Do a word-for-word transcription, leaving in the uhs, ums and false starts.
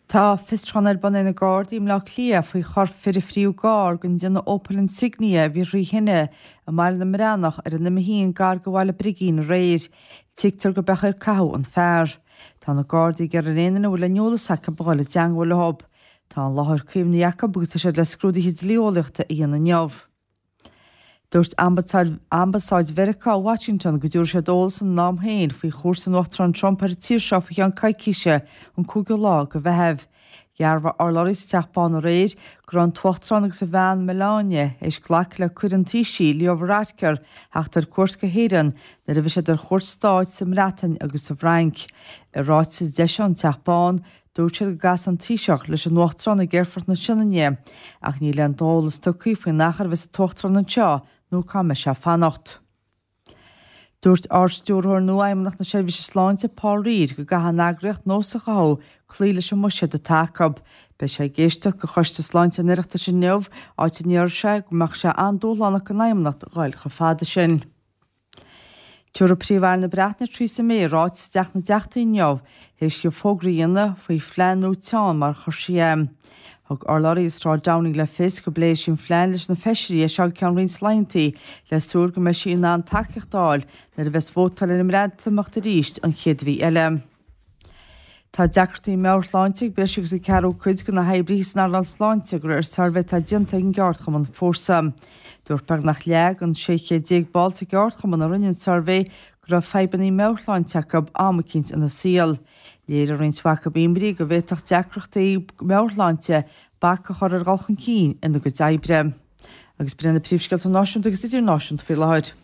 Tá fiosrúchán ar bun ag na Gardaí i mBleá Cliath faoi chorp fir a fríodh i gcarr den déanamh Opel Insignia a bhí trí thine i mBaile na mBreathnach ar an M a haon gar do Bhaile Brigín aréir. Tuigtear go b'é ar caitheadh an fear. Tá na Gardaí ag iarraidh ar aon duine a bhfuil aon eolas acu a dhul i dteangmháil leo. Tá an láthair caomhnaithe acu agus tá siad le scrúduithe dlí-eolaíochta a dhéanamh inniu. Dúirt Ambasáid Mheiriceá i Washington go dtabharfaidh siad eolas ina am féin faoi chuairt an Uachtaráin Trump ar an tír seo faoi cheann coicíse an cúigiú lá de Mheitheamh. Dhearbhaigh urlabhraí sa Teach Bán aréir go raibh an tUachtarán agus a bhean Melania théis glacadh le cuireadh an Taoisigh Leo Varadkar theacht ar cuairt go hÉirinn nuair a bhí siad ar chuairt stáit sa mBreatain agus sa bhFrainc. I ráiteas a d'eisigh an Teach Bán, dúirt siad go gcasfaidh an Taoiseach leis an Uachtarán ag Aerfort na Sionainne, ach níl aon eolas tugtha faoin achar a bheas an tUachtarán anseo nó cá mbeidh sé ag fanacht. Dúirt Ard-Stiúrthóir nua Fheidhmeannacht na Seirbhíse Sláinte Paul Reid go gcaithfidh an eagraíocht nós a chothú cloí leis an mbuiséad atá acu. Beidh sé ag éisteacht go Choiste Sláinte an Oireachtais inniu, áit a ndéarfaidh sé go mbeadh sé an-dúshlánach don Fheidhmeannacht dhul chomh fada sin. Tabharfaidh Príomh-Aire na Breataine Theresa May ráiteas i dTeach na dTeachtaí inniu, théis di fógra a dhéanamh faoi phlean nua teann mar a chuir sí é. Thug urlabhraí i Sráid Downing le fios go bpléifidh sí an phlean leis na feisirí as seo go ceann roinnt laethanta le súil go mbeidh sí in ann tacaíocht a fháil nuair a bheas vótáil ar an mBreatimeacht arís an chéad mhí eile. Tá deacrachtaí meabhairshláinte ag breis agus an ceathrú cuid de na hoibrithe san earnáil sláinte de réir suirbhé atá déanta ag an gceardchumann Fórsa. Dúirt beagnach leath den sé chéad déag ball sa gceardchumann a rinne an suirbhé go raibh fadhbanna meabhairshláinte acu am eicínt ina saol. Léirigh roinnt mhaith acu imní go bhféadfadh deacrachtaí meabhairshláinte bac a chur ar dhul chun cinn ina gcuid oibre. Agus b'in na príomhscéalta náisiúnta agus idirnáisiúnta faoi láthair.